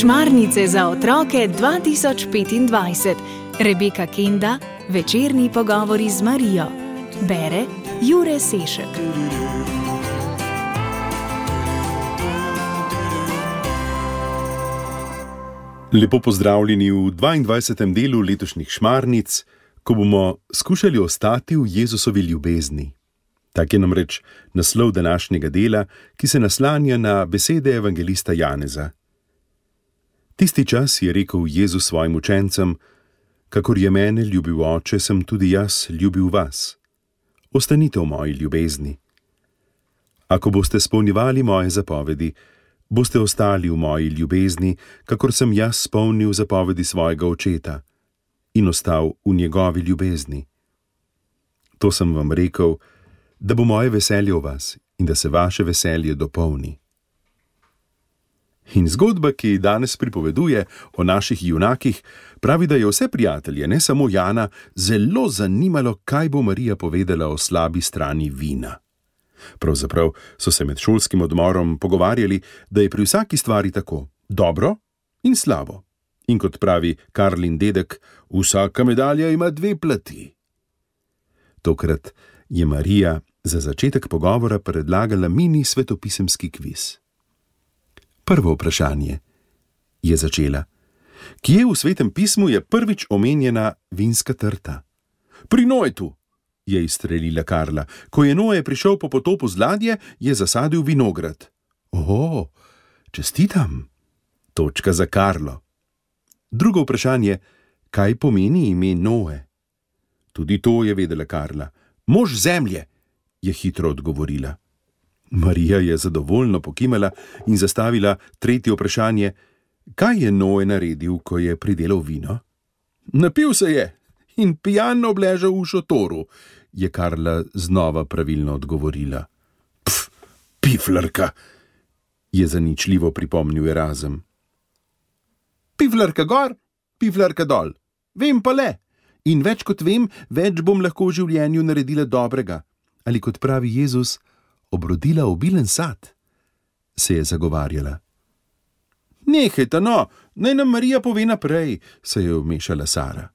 Šmarnice za otroke 2025. Rebeka Kenda, večerni pogovori z Marijo. Bere Jure Sešek. Lepo pozdravljeni v 22. delu letošnjih Šmarnic, ko bomo skušali ostati v Jezusovi ljubezni. Tak je namreč naslov današnjega dela, ki se naslanja na besede evangelista Janeza. Tisti čas je rekel Jezus svojim učencem: kakor je mene ljubil Oče, sem tudi jaz ljubil vas. Ostanite v moji ljubezni. Ako boste spolnjevali moje zapovedi, boste ostali v moji ljubezni, kakor sem jaz spolnil zapovedi svojega Očeta in ostal v njegovi ljubezni. To sem vam rekel, da bo moje veselje v vas in da se vaše veselje dopolni. In zgodba, ki danes pripoveduje o naših junakih, pravi, da je vse prijatelje, ne samo Jana, zelo zanimalo, kaj bo Marija povedala o slabi strani vina. Pravzaprav so se med šolskim odmorom pogovarjali, da je pri vsaki stvari tako dobro in slabo. In kot pravi Karlin dedek, vsaka medalja ima dve plati. Tokrat je Marija za začetek pogovora predlagala mini svetopisemski kviz. Prvo vprašanje, je začela. Kje v Svetem pismu je prvič omenjena vinska trta? Pri Noetu, je izstrelila Karla. Ko je Noe prišel po potopu z ladje, je zasadil vinograd. O, čestitam. Točka za Karlo. Drugo vprašanje, kaj pomeni ime Noe? Tudi to je vedela Karla. Mož zemlje, je hitro odgovorila. Marija je zadovoljno pokimala in zastavila tretje vprašanje: kaj je Noe naredil, ko je pridelal vino? Napil se je in pijan obležal v šotoru, je Karla znova pravilno odgovorila. Piflarka, je zaničljivo pripomnil Erazem. Piflarka gor, piflarka dol. Vem pa le. In več kot vem, več bom lahko v življenju naredila dobrega. Ali kot pravi Jezus, obrodila obilen sad, se je zagovarjala. Nehajte, no, naj nam Marija pove naprej, se je vmešala Sara.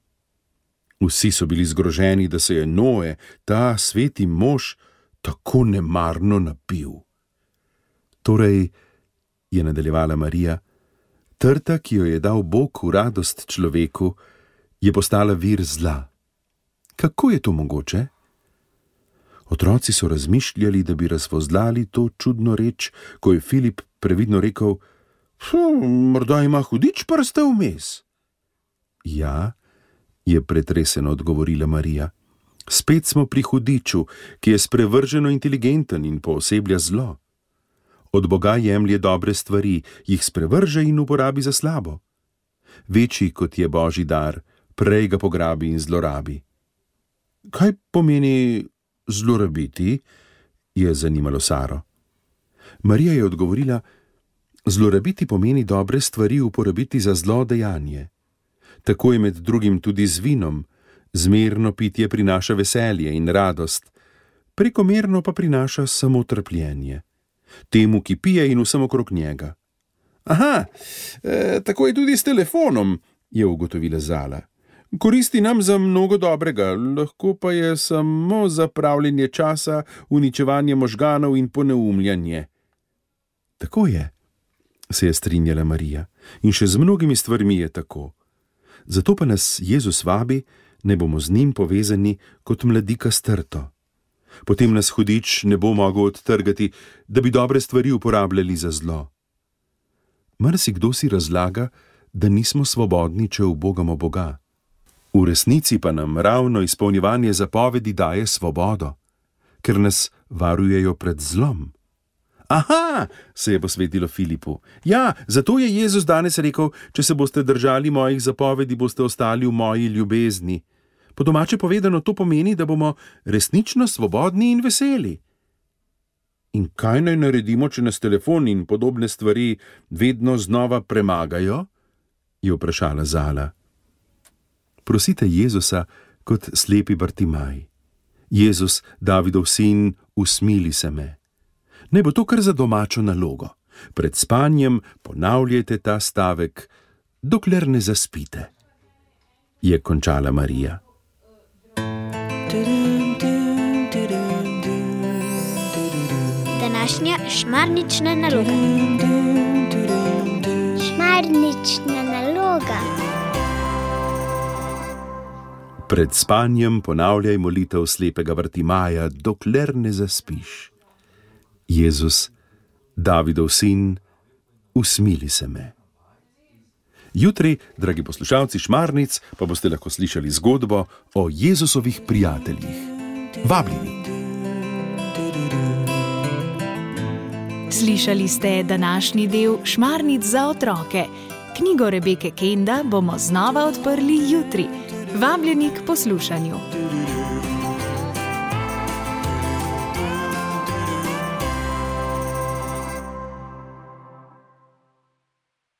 Vsi so bili zgroženi, da se je Noe, ta sveti mož, tako nemarno napil. Torej, je nadaljevala Marija, trta, ki jo je dal Bog v radost človeku, je postala vir zla. Kako je to mogoče? Otroci so razmišljali, da bi razvozlali to čudno reč, ko je Filip previdno rekel: morda ima hudič prste vmes. Ja, je pretreseno odgovorila Marija. Spet smo pri hudiču, ki je sprevrženo inteligenten in pooseblja zlo. Od Boga jemlje dobre stvari, jih sprevrže in uporabi za slabo. Večji kot je Božji dar, prej ga pograbi in zlorabi. Kaj pomeni zlorabiti? Je zanimalo Saro. Marija je odgovorila: zlorabiti pomeni dobre stvari uporabiti za zlo dejanje. Tako je med drugim tudi z vinom. Zmerno pitje prinaša veselje in radost, prekomerno pa prinaša samo trpljenje. Temu, ki pije in vsem okrog njega. Aha, tako je tudi s telefonom, je ugotovila Zala. Koristi nam za mnogo dobrega, lahko pa je samo zapravljanje časa, uničevanje možganov in poneumljanje. Tako je, se je strinjala Marija, in še z mnogimi stvarmi je tako. Zato pa nas Jezus vabi, ne bomo z njim povezani kot mladika s trto. Potem nas hudič ne bo mogel odtrgati, da bi dobre stvari uporabljali za zlo. Marsikdo si razlaga, da nismo svobodni, če ubogamo Boga. V resnici pa nam ravno izpolnjevanje zapovedi daje svobodo, ker nas varujejo pred zlom. Aha, se je posvetilo Filipu. Ja, zato je Jezus danes rekel: če se boste držali mojih zapovedi, boste ostali v moji ljubezni. Po domače povedano to pomeni, da bomo resnično svobodni in veseli. In kaj naj naredimo, če nas telefon in podobne stvari vedno znova premagajo? Je vprašala Zala. Prosite Jezusa kot slepi Bartimaj. Jezus, Davidov sin, usmili se me. Naj bo to kar za domačo nalogo. Pred spanjem ponavljajte ta stavek, dokler ne zaspite, je končala Marija. Današnja šmarnična naloga. Šmarnična naloga. Pred spanjem ponavljaj molitev slepega Bartimaja, dokler ne zaspiš. Jezus, Davidov sin, usmili se me. Jutri, dragi poslušalci Šmarnic, pa boste lahko slišali zgodbo o Jezusovih prijateljih. Vabljeni! Slišali ste današnji del Šmarnic za otroke. Knjigo Rebeke Kenda bomo znova odprli jutri. Vabljeni k poslušanju.